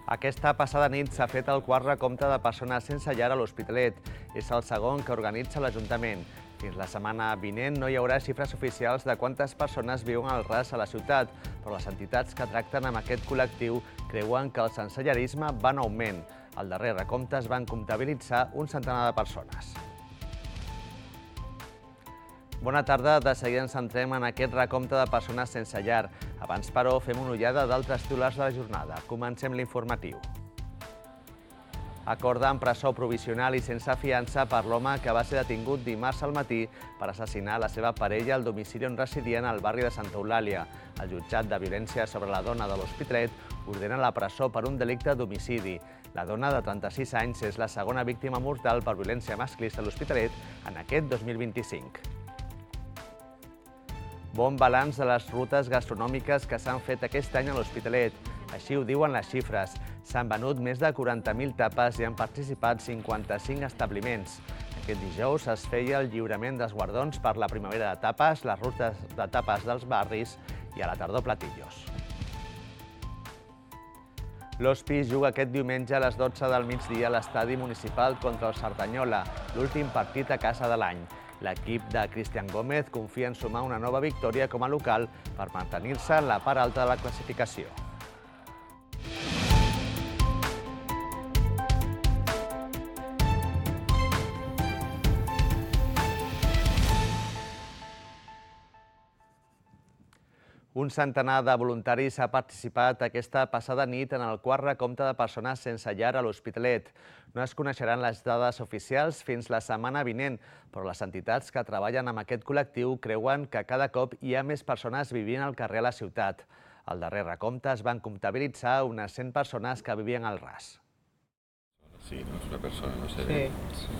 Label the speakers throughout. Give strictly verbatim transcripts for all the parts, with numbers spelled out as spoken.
Speaker 1: Aquesta passada nit s'ha fet el quart recompte de persones sense llar a l'Hospitalet. És el segon que organitza l'Ajuntament. Fins la setmana vinent no hi haurà xifres oficials de quantes persones viuen al ras a la ciutat, però les entitats que tracten amb aquest col·lectiu creuen que el sensellarisme va en augment. Al darrer recompte es van comptabilitzar un centenar de persones. Bona tarda, de seguida ens centrem en aquest recompte de persones sense llar. Abans, però, fem una ullada d'altres titulars de la jornada. Comencem l'informatiu. Acorda en presó provisional i sense fiança per l'home que va ser detingut dimarts al matí per assassinar la seva parella al domicili on residien al barri de Santa Eulàlia. El jutjat de violència sobre la dona de l'Hospitalet ordena la presó per un delicte d'homicidi. La dona de trenta-sis anys és la segona víctima mortal per violència masclista a l'Hospitalet en aquest dos mil vint-i-cinc. Bon balanç de les rutes gastronòmiques que s'han fet aquest any a l'Hospitalet. Així ho diuen les xifres. S'han venut més de quaranta mil tapes i han participat cinquanta-cinc establiments. Aquest dijous es feia el lliurament dels guardons per la primavera de tapes, les rutes de tapes dels barris i a la tardor platillos. L'Hospi juga aquest diumenge a les dotze del migdia a l'estadi municipal contra el Cerdanyola, l'últim partit a casa de l'any. L'equip de Cristian Gómez confia en sumar una nova victòria com a local per mantenir-se en la part alta de la classificació. Un centenar de voluntaris ha participat aquesta passada nit en el quart recompte de persones sense llar a l'Hospitalet. No es coneixeran les dades oficials fins la setmana vinent, però les entitats que treballen amb aquest col·lectiu creuen que cada cop hi ha més persones vivint al carrer a la ciutat. Al darrer recompte es van comptabilitzar unes cent persones que vivien al ras.
Speaker 2: Sí, no és una persona, no sé. Sí.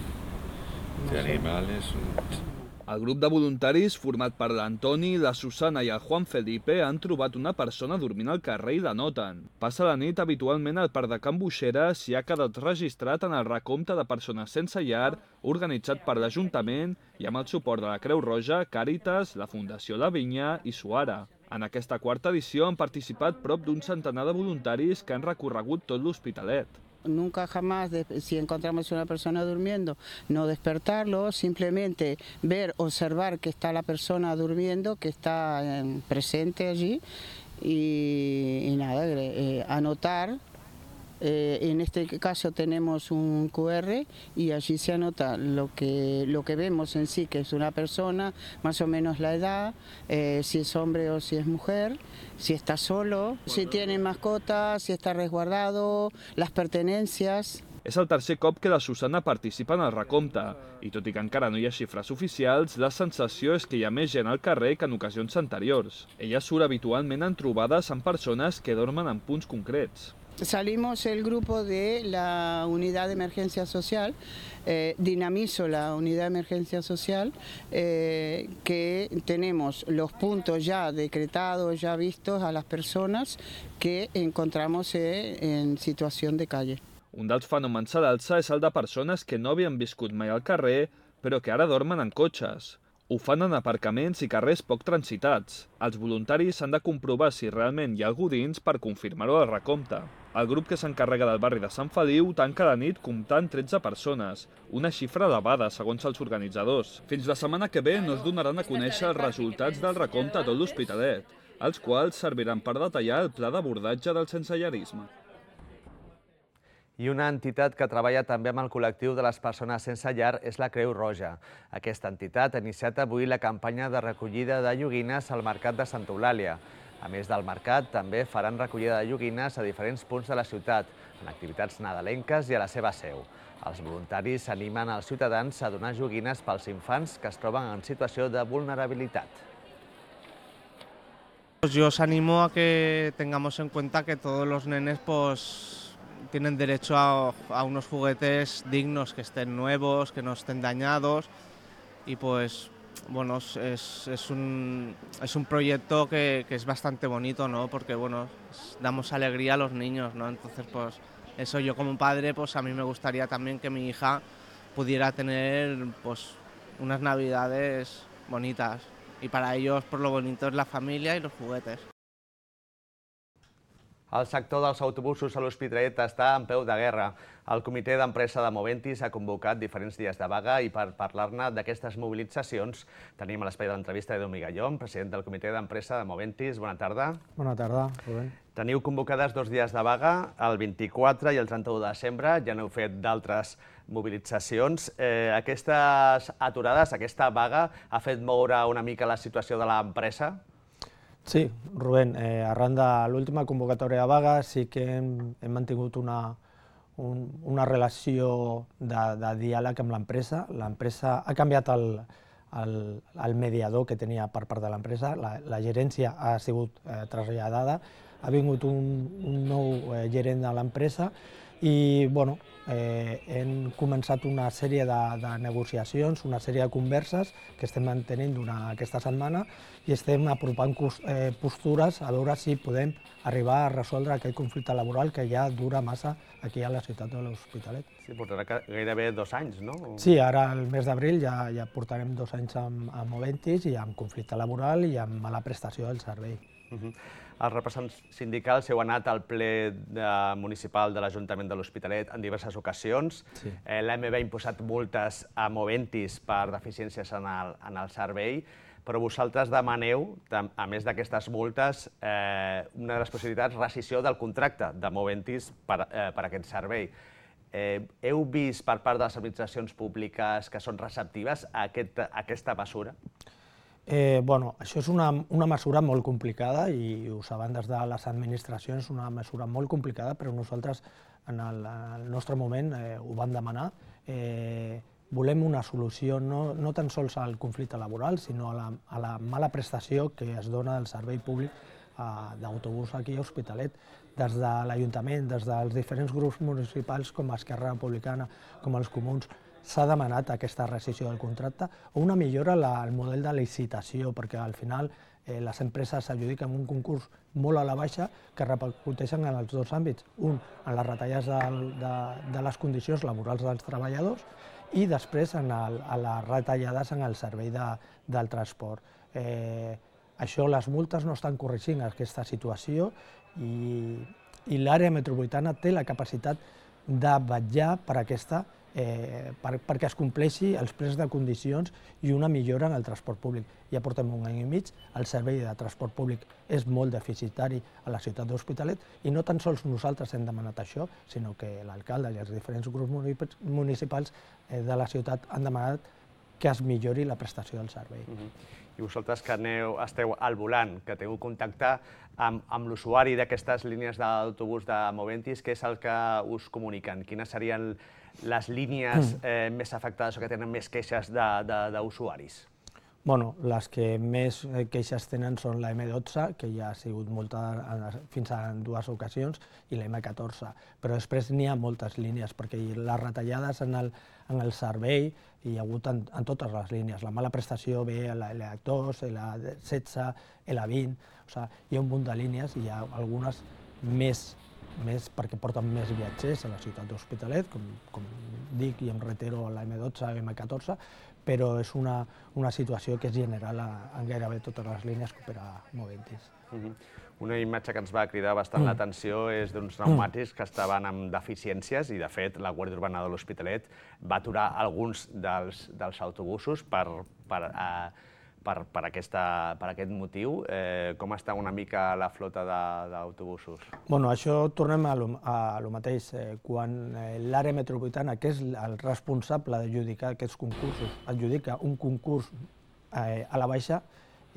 Speaker 2: Este animal és un...
Speaker 3: El grup de voluntaris, format per l'Antoni, la Susana i el Juan Felipe, han trobat una persona dormint al carrer i la noten. Passa la nit habitualment al Parc de Can Buixeres i ha quedat registrat en el recompte de persones sense llar organitzat per l'Ajuntament i amb el suport de la Creu Roja, Càritas, la Fundació La Vinya i Suara. En aquesta quarta edició han participat prop d'un centenar de voluntaris que han recorregut tot l'Hospitalet.
Speaker 4: Nunca jamás, si encontramos una persona durmiendo, no despertarlo, simplemente ver, observar que está la persona durmiendo, que está presente allí y, y nada, eh, anotar. Eh, en este caso tenemos un cu erre y allí se anota lo que, lo que vemos en sí, que es una persona, más o menos la edad, eh, si es hombre o si es mujer, si está solo, si tiene mascotas, si está resguardado, las pertenencias.
Speaker 3: És el tercer cop que la Susana participa en el recompte i tot i que encara no hi ha xifres oficials, la sensació és que hi ha més gent al carrer que en ocasions anteriors. Ella surt habitualment en trobades amb persones que dormen en punts concrets.
Speaker 4: Salimos el grupo de la unidad de emergencia social, eh, dinamizo la unidad de emergencia social, eh, que tenemos los puntos ya decretados, ya vistos a las personas que encontramos eh, en situación de calle.
Speaker 3: Un dels fenòmens a l'alça és el de persones que no havien viscut mai al carrer, però que ara dormen en cotxes. Ho fan en aparcaments i carrers poc transitats. Els voluntaris han de comprovar si realment hi ha algú dins per confirmar-ho al recompte. El grup que s'encarrega del barri de Sant Feliu tanca la nit comptant tretze persones, una xifra elevada segons els organitzadors. Fins la setmana que ve no es donaran a conèixer els resultats del recompte a tot l'Hospitalet, els quals serviran per detallar el pla d'abordatge del sensellarisme.
Speaker 1: I una entitat que treballa també amb el col·lectiu de les persones sense llar és la Creu Roja. Aquesta entitat ha iniciat avui la campanya de recollida de joguines al Mercat de Santa Eulàlia. A més del mercat, també faran recollida de joguines a diferents punts de la ciutat, en activitats nadalenques i a la seva seu. Els voluntaris animen als ciutadans a donar joguines pels infants que es troben en situació de vulnerabilitat.
Speaker 5: Yo os animo a que tengamos en cuenta que todos los nenes pues tienen derecho a, a unos juguetes dignos, que estén nuevos, que no estén dañados y pues bueno, es, es, un, es un proyecto que, que es bastante bonito, ¿no? Porque bueno, damos alegría a los niños, ¿no? Entonces pues eso, yo como padre pues a mí me gustaría también que mi hija pudiera tener pues unas navidades bonitas y para ellos por lo bonito es la familia y los juguetes.
Speaker 1: El sector dels autobusos a l'Hospitalet està en peu de guerra. El comitè d'empresa de Moventis ha convocat diferents dies de vaga i per parlar-ne d'aquestes mobilitzacions tenim a l'espai de l'entrevista Edu Migallón, president del comitè d'empresa de Moventis. Bona tarda.
Speaker 6: Bona tarda, Rubén.
Speaker 1: Teniu convocades dos dies de vaga, el vint-i-quatre i el trenta-u de desembre. Ja n'heu fet d'altres mobilitzacions. Eh, aquestes aturades, aquesta vaga, ha fet moure una mica la situació de l'empresa?
Speaker 6: Sí, Rubén, eh, arran de l'última convocatòria de vaga sí que hem, hem mantingut una, un, una relació de, de diàleg amb l'empresa. L'empresa ha canviat el, el, el mediador que tenia per part de l'empresa, la, la gerència ha sigut eh, traslladada, ha vingut un, un nou eh, gerent de l'empresa i bueno, eh, hem començat una sèrie de, de negociacions, una sèrie de converses que estem mantenint durant aquesta setmana i estem apropant eh, postures a veure si podem arribar a resoldre aquest conflicte laboral que ja dura massa aquí a la ciutat de l'Hospitalet.
Speaker 1: Sí, portarà gairebé dos anys, no?
Speaker 6: Sí, ara el mes d'abril ja, ja portarem dos anys amb, amb Moventis i amb conflicte laboral i amb mala prestació del servei.
Speaker 1: Uh-huh. Els representants sindicals heu anat al ple de, municipal de l'Ajuntament de l'Hospitalet en diverses ocasions. Sí. Eh, L'A M B ha imposat multes a Moventis per deficiències en el, en el servei, però vosaltres demaneu, a més d'aquestes multes, eh, una de les possibilitats, rescissió del contracte de Moventis per, eh, per aquest servei. Eh, heu vist per part de les administracions públiques que són receptives a, aquest, a aquesta mesura?
Speaker 6: Eh, bueno, això és una, una mesura molt complicada i ho saben des de les administracions, una mesura molt complicada, però nosaltres en el, en el nostre moment eh, ho vam demanar. Eh, volem una solució no, no tan sols al conflicte laboral, sinó a la, a la mala prestació que es dona del servei públic eh, d'autobús aquí a Hospitalet. Des de l'Ajuntament, des dels diferents grups municipals com Esquerra Republicana, com els Comuns, s'ha demanat aquesta rescissió del contracte o una millora al model de licitació, perquè al final eh, les empreses s'adjudiquen un concurs molt a la baixa que repercuteixen en els dos àmbits. Un, en les retallades de, de, de les condicions laborals dels treballadors i després en el, a les retallades en el servei de, del transport. Eh, això, les multes no estan corregint aquesta situació i, i l'àrea metropolitana té la capacitat de vetllar per aquesta Eh, per, perquè es compleixi els plecs de condicions i una millora en el transport públic. Ja portem un any i mig, el servei de transport públic és molt deficitari a la ciutat d'Hospitalet i no tan sols nosaltres hem demanat això, sinó que l'alcalde i els diferents grups municipals eh, de la ciutat han demanat que es millori la prestació del servei.
Speaker 1: Uh-huh. I vosaltres que aneu, esteu al volant, que teniu contacte amb, amb l'usuari d'aquestes línies d'autobús de Moventis, què és el que us comuniquen? Quines serien les línies eh, més afectades o que tenen més queixes d'usuaris?
Speaker 6: Bueno, les que més queixes tenen són la eme dotze, que ja ha sigut multa fins a dues ocasions, i la eme catorze. Però després n'hi ha moltes línies, perquè les retallades en el, en el servei hi ha hagut en, en totes les línies. La mala prestació ve a l'L dos, L setze, L vint, o sigui, hi ha un munt de línies i hi ha algunes més, més perquè porten més viatgers a la ciutat d'Hospitalet, com, com dic i em retero a la eme dotze i eme catorze, però és una, una situació que és general en gairebé totes les línies que opera Moventis.
Speaker 1: Uh-huh. Una imatge que ens va cridar bastant mm. l'atenció és d'uns pneumàtics que estaven amb deficiències i, de fet, la Guàrdia Urbana de l'Hospitalet va aturar alguns dels, dels autobusos per, per, uh, per, per, aquesta, per aquest motiu. Eh, com està una mica la flota d'autobusos?
Speaker 6: Bueno, això tornem a lo, a lo mateix. Eh, quan eh, l'àrea metropolitana, que és el responsable d'adjudicar aquests concursos, adjudica un concurs eh, a la baixa,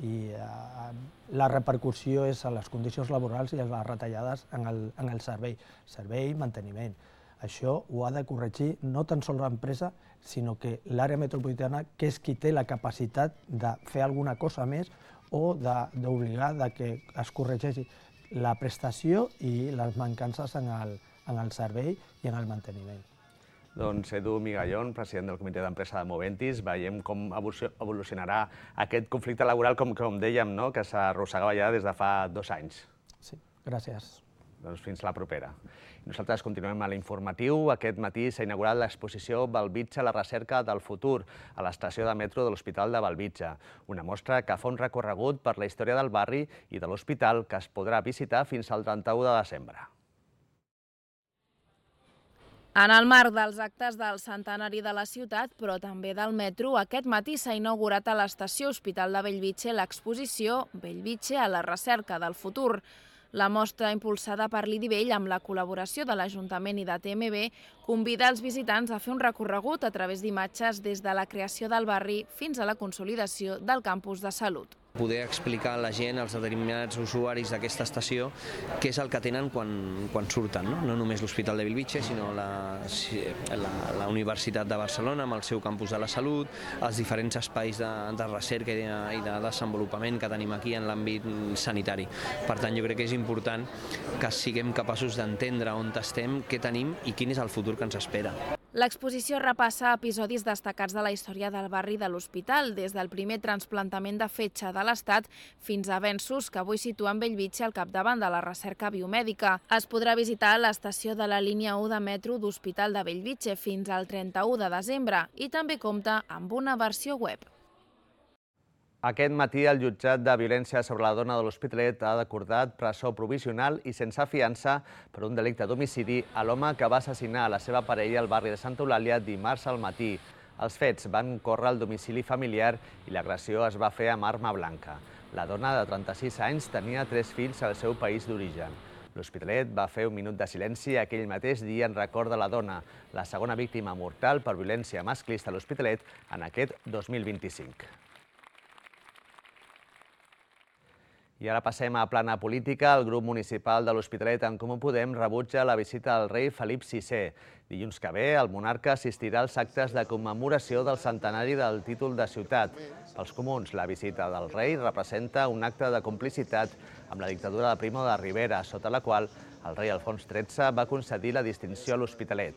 Speaker 6: i eh, la repercussió és a les condicions laborals i a les retallades en el, en el servei, servei i manteniment. Això ho ha de corregir no tan sols l'empresa, sinó que l'àrea metropolitana, que és qui té la capacitat de fer alguna cosa més o d'obligar que es corregeixi la prestació i les mancances en el, en el servei i en el manteniment.
Speaker 1: Doncs Edu Migallón, president del comitè d'empresa de Moventis, veiem com evolucionarà aquest conflicte laboral, com, com dèiem, no? Que s'arrossegava ja des de fa dos anys.
Speaker 6: Sí, gràcies.
Speaker 1: Doncs fins la propera. Nosaltres continuem a l'informatiu. Aquest matí s'ha inaugurat l'exposició Bellvitge, la recerca del futur, a l'estació de metro de l'Hospital de Bellvitge. Una mostra que fa un recorregut per la història del barri i de l'hospital que es podrà visitar fins al trenta-u de desembre.
Speaker 7: En el marc dels actes del centenari de la ciutat, però també del metro, aquest matí s'ha inaugurat a l'estació Hospital de Bellvitge l'exposició Bellvitge a la recerca del futur. La mostra, impulsada per l'I D I Vell amb la col·laboració de l'Ajuntament i de T M B, convida els visitants a fer un recorregut a través d'imatges des de la creació del barri fins a la consolidació del campus de salut.
Speaker 8: Poder explicar a la gent, als determinats usuaris d'aquesta estació, què és el que tenen quan, quan surten, no? No només l'Hospital de Bellvitge, sinó la, la, la Universitat de Barcelona amb el seu campus de la salut, els diferents espais de, de recerca i de, i de desenvolupament que tenim aquí en l'àmbit sanitari. Per tant, jo crec que és important que siguem capaços d'entendre on estem, què tenim i quin és el futur que ens espera.
Speaker 7: L'exposició repassa episodis destacats de la història del barri de l'Hospital, des del primer trasplantament de fetge de l'Estat fins a avenços que avui situen Bellvitge al capdavant de la recerca biomèdica. Es podrà visitar l'estació de la línia u de metro d'Hospital de Bellvitge fins al trenta-u de desembre i també compta amb una versió web.
Speaker 1: Aquest matí el jutjat de violència sobre la dona de l'Hospitalet ha acordat presó provisional i sense fiança per un delicte d'homicidi a l'home que va assassinar la seva parella al barri de Santa Eulàlia dimarts al matí. Els fets van córrer al domicili familiar i l'agressió es va fer amb arma blanca. La dona de trenta-sis anys tenia tres fills al seu país d'origen. L'Hospitalet va fer un minut de silenci aquell mateix dia en record de la dona, la segona víctima mortal per violència masclista a l'Hospitalet en aquest dos mil vint-i-cinc. I ara passem a plana política. El grup municipal de l'Hospitalet en Comú Podem rebutja la visita del rei Felip sisè. Dilluns que ve, el monarca assistirà als actes de commemoració del centenari del títol de ciutat. Pels comuns, la visita del rei representa un acte de complicitat amb la dictadura de Primo de Rivera, sota la qual el rei Alfons tretze va concedir la distinció a l'Hospitalet.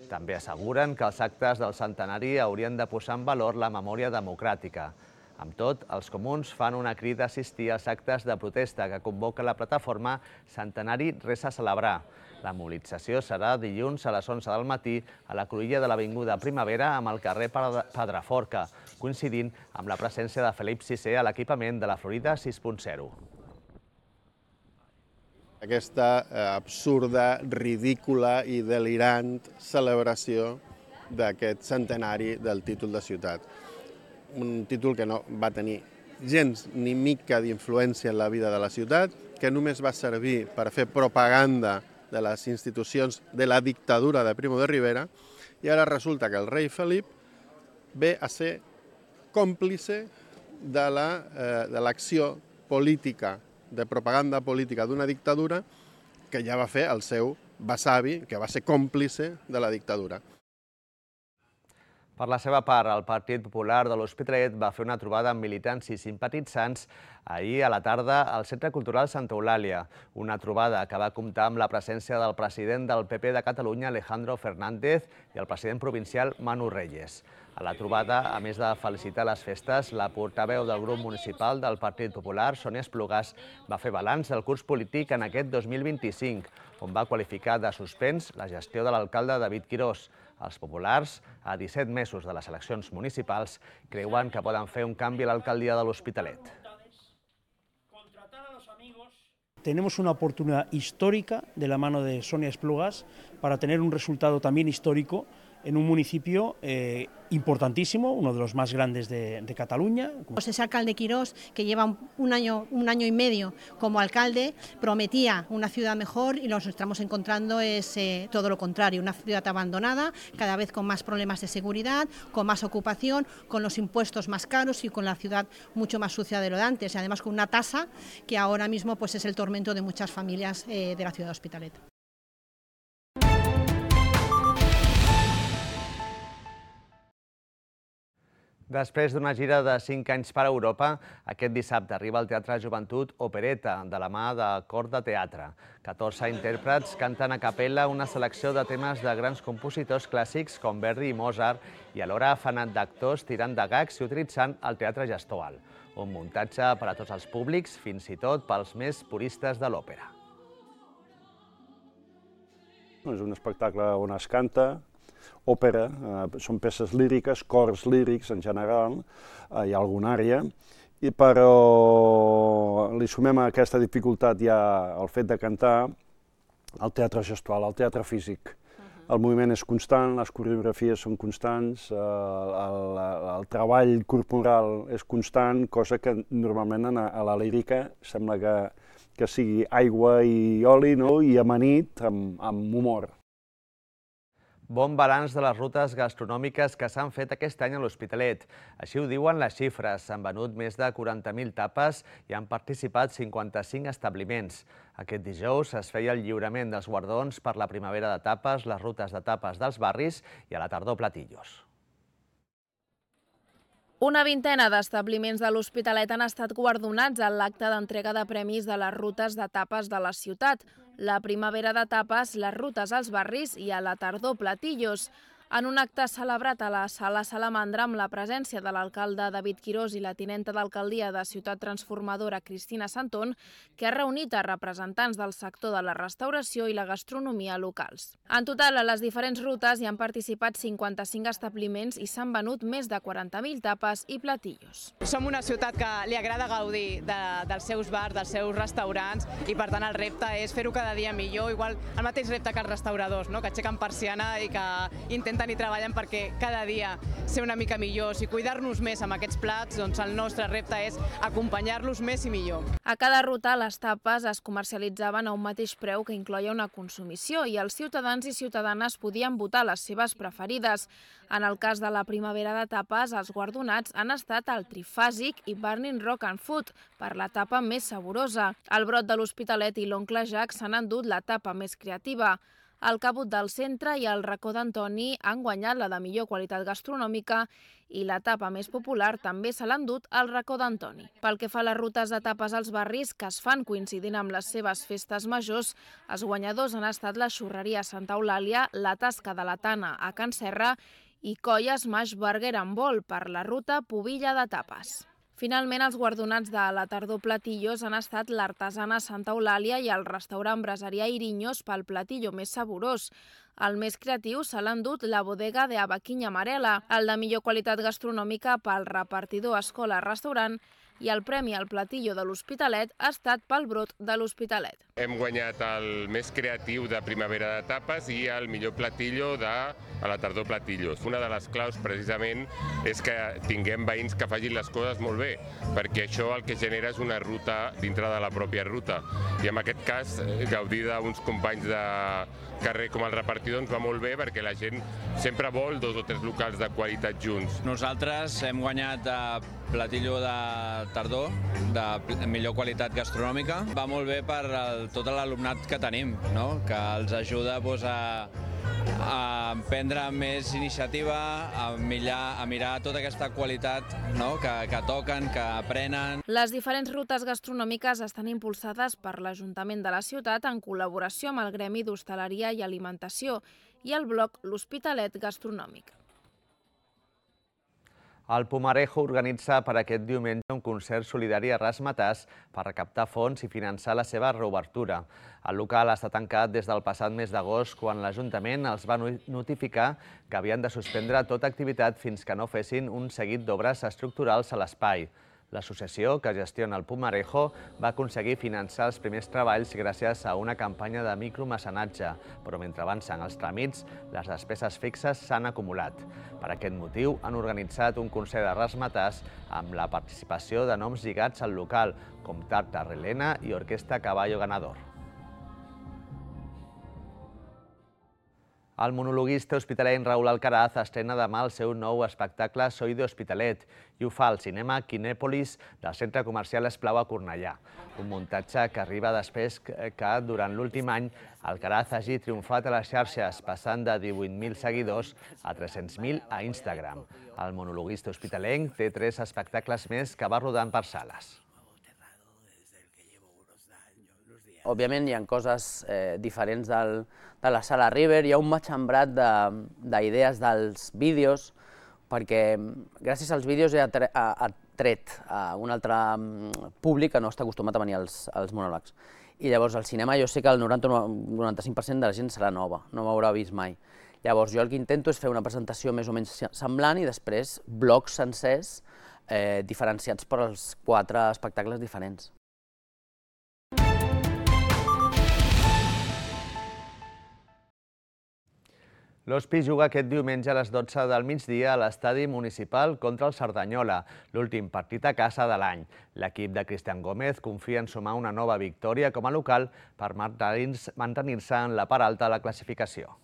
Speaker 1: També asseguren que els actes del centenari haurien de posar en valor la memòria democràtica. Amb tot, els comuns fan una crida a assistir als actes de protesta que convoca la plataforma Centenari Res a Celebrar. La mobilització serà dilluns a les onze del matí a la cruïlla de l'Avinguda Primavera amb el carrer Pedraforca, coincidint amb la presència de Felip sisè a l'equipament de la Florida sis punt zero.
Speaker 9: Aquesta absurda, ridícula i delirant celebració d'aquest centenari del títol de ciutat. Un títol que no va tenir gens ni mica d'influència en la vida de la ciutat, que només va servir per fer propaganda de les institucions de la dictadura de Primo de Rivera, i ara resulta que el rei Felip ve a ser còmplice de l'acció política, de propaganda política d'una dictadura que ja va fer el seu besavi, que va ser còmplice de la dictadura.
Speaker 1: Per la seva part, el Partit Popular de l'Hospitalet va fer una trobada amb militants i simpatitzants ahir a la tarda al Centre Cultural Santa Eulàlia. Una trobada que va comptar amb la presència del president del P P de Catalunya, Alejandro Fernández, i el president provincial, Manu Reyes. A la trobada, a més de felicitar les festes, la portaveu del grup municipal del Partit Popular, Sònia Esplugàs, va fer balanç del curs polític en aquest dos mil vint-i-cinc, on va qualificar de suspens la gestió de l'alcalde David Quirós. Els populars, a disset mesos de les eleccions municipals, creuen que poden fer un canvi a l'alcaldia de l'Hospitalet.
Speaker 10: Tenemos una oportunidad histórica de la mano de Sonia Esplugas para tener un resultado también histórico en un municipio eh, importantísimo, uno de los más grandes de, de Cataluña.
Speaker 11: Pues ese alcalde Quirós, que lleva un año, un año y medio como alcalde, prometía una ciudad mejor y nos estamos encontrando es eh, todo lo contrario, una ciudad abandonada, cada vez con más problemas de seguridad, con más ocupación, con los impuestos más caros y con la ciudad mucho más sucia de lo de antes, y además con una tasa que ahora mismo pues, es el tormento de muchas familias eh, de la ciudad de Hospitalet.
Speaker 1: Després d'una gira de cinc anys per Europa, aquest dissabte arriba al Teatre Joventut Opereta, de la mà de Cor de Teatre. catorze intèrprets canten a capella una selecció de temes de grans compositors clàssics com Verdi i Mozart i alhora fan d'actors tirant de gags i utilitzant el teatre gestual. Un muntatge per a tots els públics, fins i tot pels més puristes de l'òpera.
Speaker 12: És un espectacle on es canta, òpera, eh, són peces líriques, cors lírics en general, eh, hi ha alguna àrea, i però li sumem a aquesta dificultat ja el fet de cantar el teatre gestual, el teatre físic. El moviment és constant, les coreografies són constants, el, el, el treball corporal és constant, cosa que normalment a la lírica sembla que, que sigui aigua i oli, no? I amanit amb, amb humor.
Speaker 1: Bon balanç de les rutes gastronòmiques que s'han fet aquest any a l'Hospitalet. Així ho diuen les xifres. S'han venut més de quaranta mil tapes i han participat cinquanta-cinc establiments. Aquest dijous es feia el lliurament dels guardons per la primavera de tapes, les rutes de tapes dels barris i a la tardor platillos.
Speaker 7: Una vintena d'establiments de l'Hospitalet han estat guardonats en l'acte d'entrega de premis de les rutes de tapes de la ciutat. La primavera de tapes, les rutes als barris i a la tardor platillos. En un acte celebrat a la Sala Salamandra amb la presència de l'alcalde David Quirós i la tinenta d'alcaldia de Ciutat Transformadora Cristina Santón, que ha reunit a representants del sector de la restauració i la gastronomia locals. En total, a les diferents rutes hi han participat cinquanta-cinc establiments i s'han venut més de quaranta mil tapes i platillos.
Speaker 13: Som una ciutat que li agrada gaudir de, dels seus bars, dels seus restaurants, i per tant el repte és fer-ho cada dia millor, igual el mateix repte que els restauradors, no? Que aixequen persiana i que intenten i treballen perquè cada dia ser una mica millors i cuidar-nos més amb aquests plats, doncs el nostre repte és acompanyar-los més i millor.
Speaker 7: A cada ruta les tapes es comercialitzaven a un mateix preu que incloia una consumició i els ciutadans i ciutadanes podien votar les seves preferides. En el cas de la primavera de tapes, els guardonats han estat el Trifàsic i Burning Rock and Food per la tapa més saborosa. El Brot de l'Hospitalet i l'Oncle Jack s'han endut la tapa més creativa. El Cabut del Centre i el Racó d'Antoni han guanyat la de millor qualitat gastronòmica i la tapa més popular també se l'ha endut al Racó d'Antoni. Pel que fa a les rutes de tapes als barris que es fan coincidint amb les seves festes majors, els guanyadors han estat la Xurreria Santa Eulàlia, la Tasca de la Tana a Can Serra i Colla Smash Burger and Ball per la ruta Pubilla de Tapes. Finalment, els guardonats de la tardor platillos han estat l'artesana Santa Eulàlia i el restaurant Braseria Iriños pel platillo més saborós. El més creatiu se l'ha endut la bodega de Abaquinya Amarela, el de millor qualitat gastronòmica pel repartidor Escola Restaurant i el premi al platillo de l'Hospitalet ha estat pel Brot de l'Hospitalet.
Speaker 14: Hem guanyat el més creatiu de primavera de tapes i el millor platillo de a la tardor platillos. Una de les claus, precisament, és que tinguem veïns que facin les coses molt bé, perquè això el que genera és una ruta dintre de la pròpia ruta. I en aquest cas, gaudir d'uns companys de carrer com el repartidor ens va molt bé perquè la gent sempre vol dos o tres locals de qualitat junts.
Speaker 15: Nosaltres hem guanyat platillo de tardor, de millor qualitat gastronòmica. Va molt bé per el, tot l'alumnat que tenim, no? Que els ajuda doncs, a, a prendre més iniciativa, a mirar, a mirar tota aquesta qualitat, no? que, que toquen, que aprenen.
Speaker 7: Les diferents rutes gastronòmiques estan impulsades per l'Ajuntament de la ciutat en col·laboració amb el Gremi d'Hostaleria i Alimentació i el blog L'Hospitalet Gastronòmic.
Speaker 1: El Pumarejo organitza per aquest diumenge un concert solidari a Ramatàs per recaptar fons i finançar la seva reobertura. El local està tancat des del passat mes d'agost, quan l'Ajuntament els va notificar que havien de suspendre tota activitat fins que no fessin un seguit d'obres estructurals a l'espai. L'associació que gestiona el Pumarejo va aconseguir finançar els primers treballs gràcies a una campanya de micromecenatge, però mentre avancen els tràmits, les despeses fixes s'han acumulat. Per aquest motiu, han organitzat un concert de Ramatàs amb la participació de noms lligats al local, com Tarta Relena i Orquestra Caballo Ganador. El monologuista hospitalenc Raúl Alcaraz estrena demà el seu nou espectacle Soy de Hospitalet i ho fa al cinema Kinèpolis del centre comercial Esclau a Cornellà. Un muntatge que arriba després que durant l'últim any Alcaraz hagi triomfat a les xarxes, passant de divuit mil seguidors a tres-cents mil a Instagram. El monologuista hospitalenc té tres espectacles més que va rodant per sales.
Speaker 16: Òbviament hi ha coses eh, diferents del, de la sala River, hi ha un matxembrat d'idees de, dels vídeos, perquè gràcies als vídeos he atret a un altre públic que no està acostumat a venir als, als monòlegs. i llavors al cinema jo sé que el noranta o noranta-cinc per cent de la gent serà nova, no m'haurà vist mai. Llavors jo el que intento és fer una presentació més o menys semblant i després blocs sencers eh, diferenciats per als quatre espectacles diferents.
Speaker 1: L'Hospi juga aquest diumenge a les dotze del migdia a l'estadi municipal contra el Cerdanyola, l'últim partit a casa de l'any. L'equip de Cristian Gómez confia en sumar una nova victòria com a local per mantenir-se en la part alta de la classificació.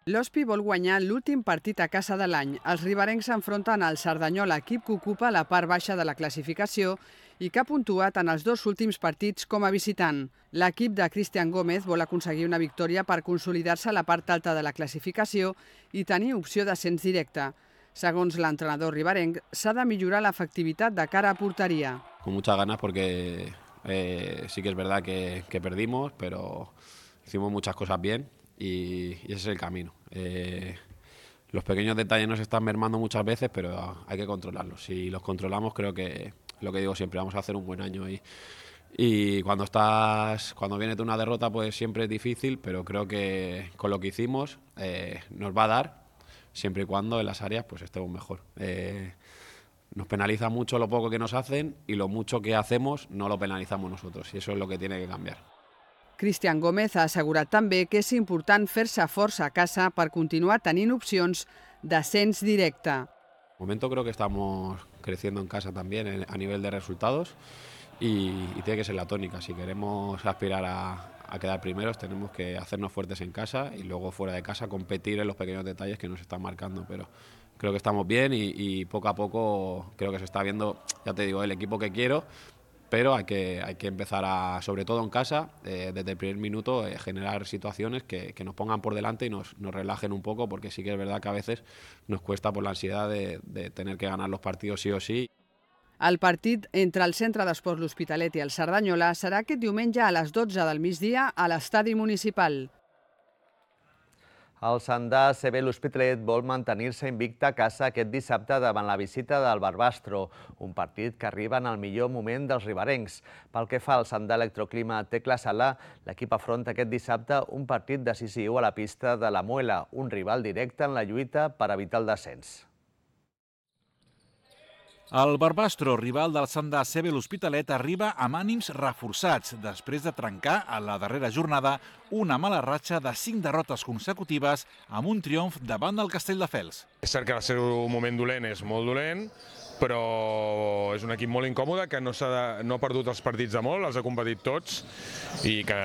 Speaker 17: L'Hospi vol guanyar l'últim partit a casa de l'any. Els riberencs s'enfronten al Cerdanyola, equip que ocupa la part baixa de la classificació i que ha puntuat en els dos últims partits com a visitant. L'equip de Cristian Gómez vol aconseguir una victòria per consolidar-se a la part alta de la classificació i tenir opció d'ascens directe. Segons l'entrenador riberenc, s'ha de millorar l'efectivitat de cara a porteria.
Speaker 18: Con muchas ganas porque eh, sí que es verdad que, que perdimos, pero hicimos muchas cosas bien y, y ese es el camino. Eh, los pequeños detalles nos están mermando muchas veces, pero hay que controlarlos. Si los controlamos, creo que, lo que digo siempre, vamos a hacer un buen año. Y, y cuando estás, cuando viene una derrota, pues siempre es difícil, pero creo que con lo que hicimos eh, nos va a dar, siempre y cuando en las áreas pues estemos mejor. Eh, nos penaliza mucho lo poco que nos hacen y lo mucho que hacemos no lo penalizamos nosotros, y eso es lo que tiene que cambiar.
Speaker 17: Cristian Gómez ha assegurat també que és important fer-se força a casa per continuar tenint opcions d'ascens directe.
Speaker 18: De momento creo que estamos creciendo en casa también a nivel de resultados y, y tiene que ser la tónica. Si queremos aspirar a, a quedar primeros tenemos que hacernos fuertes en casa y luego fuera de casa competir en los pequeños detalles que nos están marcando. Pero creo que estamos bien y, y poco a poco creo que se está viendo, ya te digo, el equipo que quiero. Pero hay que, hay que empezar a, sobre todo en casa, eh, desde el primer minuto, eh, generar situaciones que, que nos pongan por delante y nos, nos relajen un poco, porque sí que es verdad que a veces nos cuesta por la ansiedad de, de tener que ganar los partidos sí o sí.
Speaker 17: El partit entre el Centre d'Esports L'Hospitalet i el Cerdanyola serà aquest diumenge a les dotze del migdia a l'estadi municipal.
Speaker 1: El Sandà C B L'Hospitalet vol mantenir-se invicte a casa aquest dissabte davant la visita del Barbastro, un partit que arriba en el millor moment dels riberencs. Pel que fa al Sandà Electroclima Tecla Sala, l'equip afronta aquest dissabte un partit decisiu a la pista de la Muela, un rival directe en la lluita per evitar el descens.
Speaker 19: El Barbastro, rival del Sandà C B L'Hospitalet, arriba amb ànims reforçats després de trencar a la darrera jornada una mala ratxa de cinc derrotes consecutives amb un triomf davant del Castelldefels.
Speaker 20: És cert que el seu moment dolent és molt dolent, però és un equip molt incòmode que no, de, no ha perdut els partits de molt, els ha competit tots i que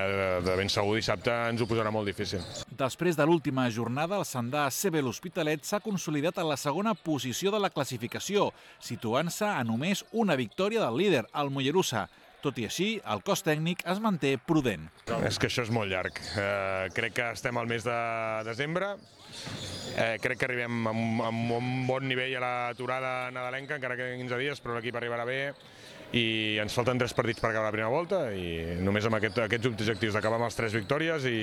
Speaker 20: de ben segur dissabte ens ho posarà molt difícil.
Speaker 19: Després de l'última jornada, el Sandà C B L'Hospitalet s'ha consolidat en la segona posició de la classificació, situant-se a només una victòria del líder, el Mollerussa. Tot i així, el cos tècnic es manté prudent.
Speaker 20: És que això és molt llarg. Eh, crec que estem al mes de desembre. Eh, crec que arribem amb, amb un bon nivell a l'aturada nadalenca, encara que quinze dies, però l'equip arribarà bé i ens falten tres partits per acabar la primera volta i només amb aquest, aquests objectius d'acabar amb les tres victòries i,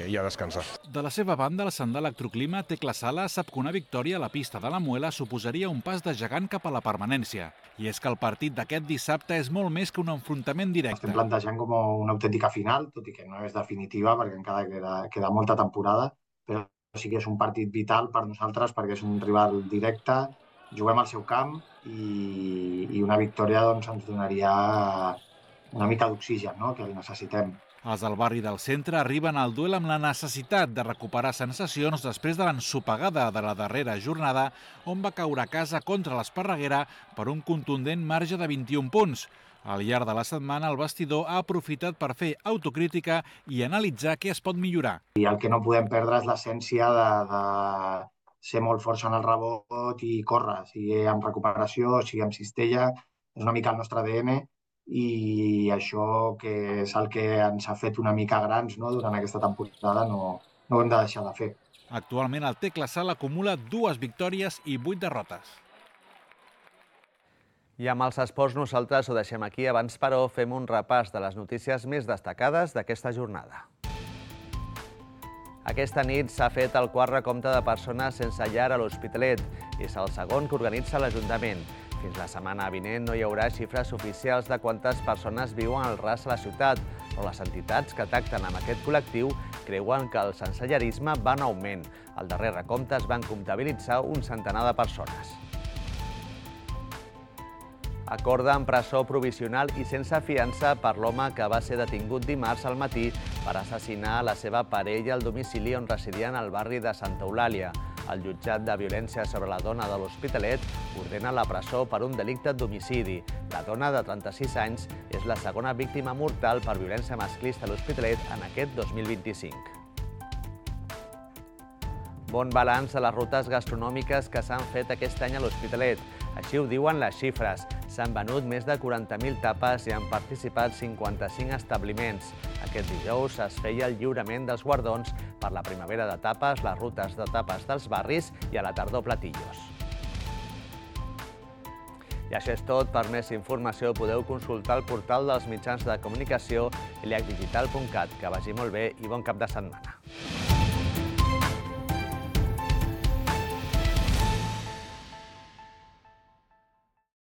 Speaker 20: i a descansar.
Speaker 19: De la seva banda, el Sandà Electroclima Tecla Sala sap que una victòria a la pista de la Muela suposaria un pas de gegant cap a la permanència. I és que el partit d'aquest dissabte és molt més que un enfrontament directe.
Speaker 21: Estem plantejant com una autèntica final, tot i que no és definitiva perquè encara queda, queda molta temporada, però sí que és un partit vital per nosaltres perquè és un rival directe, juguem al seu camp i, i una victòria doncs, ens donaria una mica d'oxigen, no?, que el necessitem.
Speaker 19: Els del barri del centre arriben al duel amb la necessitat de recuperar sensacions després de l'ensopegada de la darrera jornada on va caure a casa contra l'Esparreguera per un contundent marge de vint-i-un punts. Al llarg de la setmana, el vestidor ha aprofitat per fer autocrítica i analitzar què es pot millorar.
Speaker 21: I el que no podem perdre és l'essència de, de ser molt forts en el rebot i córrer, sigui amb recuperació, sigui amb cistella, és una mica el nostre A D N i això que és el que ens ha fet una mica grans, no?, durant aquesta temporada, no, no ho hem de deixar de fer.
Speaker 19: Actualment el Tecla Sala acumula dues victòries i vuit derrotes.
Speaker 1: I amb els esports nosaltres ho deixem aquí. Abans, però, fem un repàs de les notícies més destacades d'aquesta jornada. Aquesta nit s'ha fet el quart recompte de persones sense llar a l'Hospitalet. És el segon que organitza l'Ajuntament. Fins la setmana vinent no hi haurà xifres oficials de quantes persones viuen al ras a la ciutat, però les entitats que tracten amb aquest col·lectiu creuen que el sensellarisme va en augment. Al darrer recompte es van comptabilitzar un centenar de persones. Acorden presó provisional i sense fiança per l'home que va ser detingut dimarts al matí per assassinar la seva parella al domicili on residien al barri de Santa Eulàlia. El jutjat de violència sobre la dona de l'Hospitalet ordena la presó per un delicte d'homicidi. La dona de trenta-sis anys és la segona víctima mortal per violència masclista a l'Hospitalet en aquest dos mil vint-i-cinc. Bon balanç de les rutes gastronòmiques que s'han fet aquest any a l'Hospitalet. Així ho diuen les xifres. S'han venut més de quaranta mil tapes i han participat cinquanta-cinc establiments. Aquest dijous es feia el lliurament dels guardons per la primavera de tapes, les rutes de tapes dels barris i a la tardor platillos. I això és tot. Per més informació podeu consultar el portal dels mitjans de comunicació iliac digital punt cat. Que vagi molt bé i bon cap de setmana.